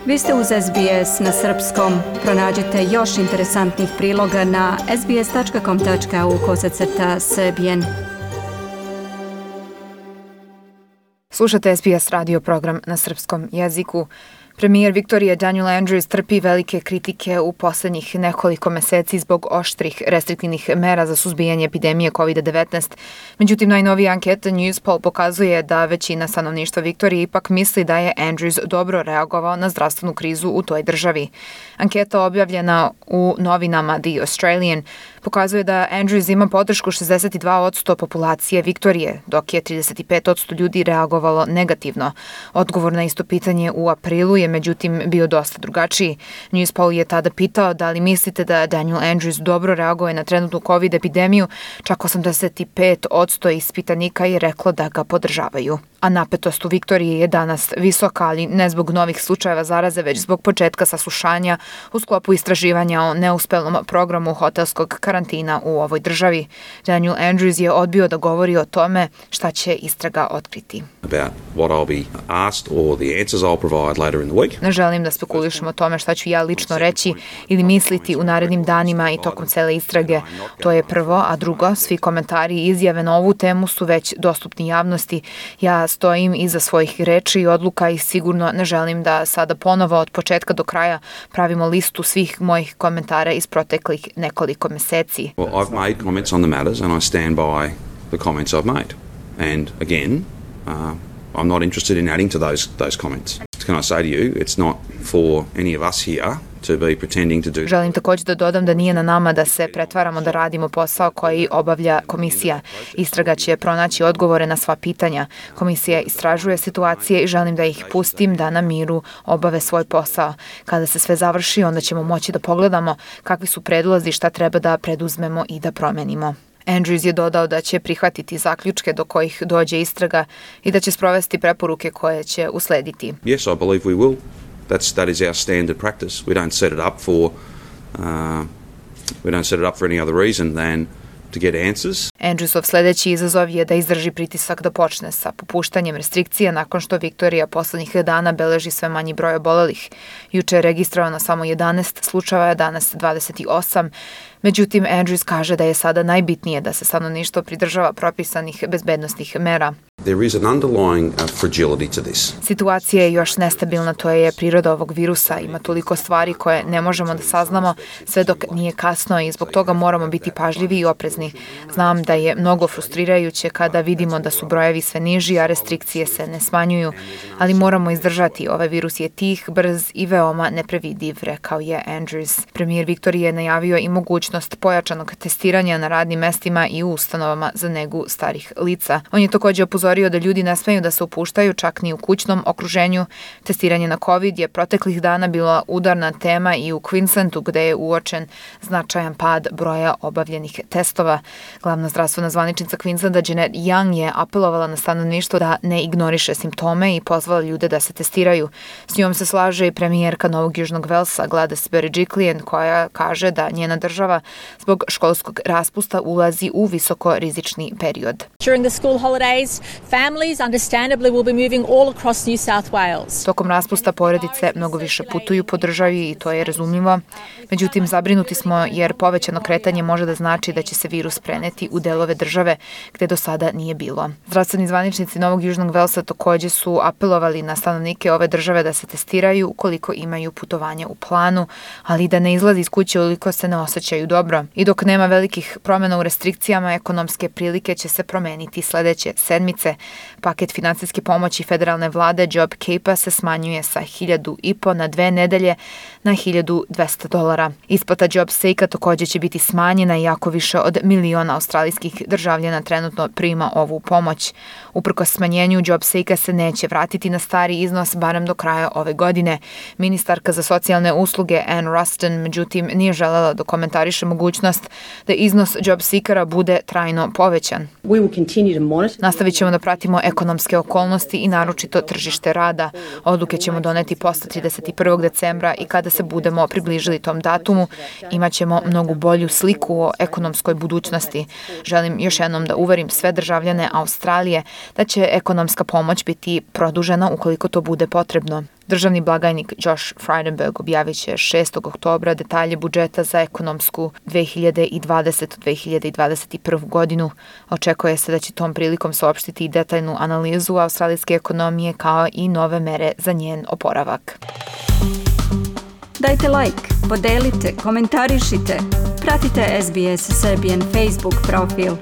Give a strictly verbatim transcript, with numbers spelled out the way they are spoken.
Vi ste uz S B S na srpskom. Pronađite još interesantnih priloga na sbs.com.au kosacrta srbijen. Slušate S B S radio program na srpskom jeziku. Premijer Viktorije Daniel Andrews trpi velike kritike u poslednjih nekoliko meseci zbog oštrih restriktivnih mera za suzbijanje epidemije kovid devetnaest. Međutim, najnovija anketa Newspoll pokazuje da većina stanovništva Viktorije ipak misli da je Andrews dobro reagovao na zdravstvenu krizu u toj državi. Anketa objavljena u novinama The Australian pokazuje da Andrews ima podršku šezdeset dva posto populacije Viktorije, dok je trideset pet posto ljudi reagovalo negativno. Odgovor na isto pitanje u aprilu je međutim bio dosta drugačiji. Newspoll je tada pitao da li mislite da Daniel Andrews dobro reaguje na trenutnu COVID epidemiju, čak osamdeset pet posto ispitanika je reklo da ga podržavaju. A napetost u Viktoriji je danas visoka, ali ne zbog novih slučajeva zaraze, već zbog početka saslušanja u sklopu istraživanja o neuspelom programu hotelskog karantina u ovoj državi. Daniel Andrews je odbio da govori o tome šta će istraga otkriti. Ne želim da spekulišem o tome šta ću ja lično reći ili misliti u narednim danima i tokom cele istrage. To je prvo, a drugo, svi komentari i izjave na ovu temu su već dostupni javnosti. Ja stojim iza svojih reči i odluka i sigurno ne želim da sada ponovo od početka do kraja pravimo listu svih mojih komentara iz proteklih nekoliko meseci. Well, I've made comments on the matters and I stand by the comments I've made. And again, uh, I'm not interested in adding to those those comments. Can I say to you, it's not for any of us here to be pretending to do. Želim također da dodam da nije na nama da se pretvaramo da radimo posao koji obavlja komisija. Istraga će pronaći odgovore na sva pitanja. Komisija istražuje situacije i želim da ih pustim da na miru obave svoj posao. Kada se sve završi, onda ćemo moći da pogledamo kakvi su predlozi, šta treba da preduzmemo i da promenimo. Andrews je dodao da će prihvatiti zaključke do kojih dođe istraga i da će sprovesti preporuke koje će uslediti. Yes, I believe we will. That's that is our standard practice. We don't set it up for uh, we don't set it up for any other reason than to get answers. Andrewsov sledeći izazov je da izdrži pritisak da počne sa popuštanjem restrikcija nakon što Viktorija poslednjih dana beleži sve manji broj obolelih. Juče je registrovano samo jedanaest slučajeva, danas dvadeset osam. Međutim, Andrews kaže da je sada najbitnije da se stanovništvo pridržava propisanih bezbednosnih mera. There is an underlying uh, fragility to this. Situacija je još nestabilna, to je priroda ovog virusa. Ima toliko stvari koje ne možemo da saznamo sve dok nije kasno i zbog toga moramo biti pažljivi i oprezni. Znam da je mnogo frustrirajuće kada vidimo da su brojevi sve niži, a restrikcije se ne smanjuju, ali moramo izdržati. Ovaj virus je tih, brz i veoma neprevidiv, rekao je Andrews. Premijer Viktorije je najavio i mogućnost pojačanog testiranja na radnim mestima i u ustanovama za negu starih lica. On je također upozorio da ljudi ne smeju da se upuštaju čak ni u kućnom okruženju. Testiranje na COVID je proteklih dana bila udarna tema i u Queenslandu gde je uočen značajan pad broja obavljenih testova. Glavna zdravstvena zvaničnica Queenslanda Jeanette Young je apelovala na stanovništvo da ne ignoriše simptome i pozvala ljude da se testiraju. S njom se slaže i premijerka Novog Južnog Velsa Gladys Berejiklian koja kaže da njena država zbog školskog raspusta ulazi u visoko rizični period. During the school holidays, families understandably will be moving all across New South Wales. Tokom raspusta porodice mnogo više putuju po državi i to je razumljivo. Međutim, zabrinuti smo jer povećano kretanje može da znači da će se virus preneti u delove države gde do sada nije bilo. Zdravstveni zvaničnici Novog Južnog Velsa također su apelovali na stanovnike ove države da se testiraju ukoliko imaju putovanja u planu, ali da ne izlazi iz kuće ukoliko se ne osjećaju dobro. I dok nema velikih promjena u restrikcijama, ekonomske prilike će se promeniti sledeće sedmice. Paket finansijske pomoći federalne vlade JobKeepa se smanjuje sa hiljadu i po na dve nedelje na hiljadu dvesta dolara. Isplata JobSake-a također će biti smanjena iako više od miliona australijskih državljana trenutno prima ovu pomoć. Uprkos smanjenju, JobSake-a se neće vratiti na stari iznos barem do kraja ove godine. Ministarka za socijalne usluge Ann Ruston međutim nije želela da komentariše mogućnost da iznos JobSeekera bude trajno povećan. Nastavit ćemo da pratimo ekonomske okolnosti i naročito tržište rada. Odluke ćemo doneti posle trideset prvog decembra i kada se budemo približili tom datumu, imat ćemo mnogo bolju sliku o ekonomskoj budućnosti. Želim još jednom da uverim sve državljane Australije da će ekonomska pomoć biti produžena ukoliko to bude potrebno. Državni blagajnik Josh Frydenberg objavit će šestog oktobra detalje budžeta za ekonomsku dve hiljade dvadesete do dve hiljade dvadeset prve. godinu. Očekuje se da će tom prilikom saopštiti i detaljnu analizu australijske ekonomije kao i nove mere za njen oporavak. Dajte like, podelite, komentarišite. Pratite S B S Serbian Facebook profil.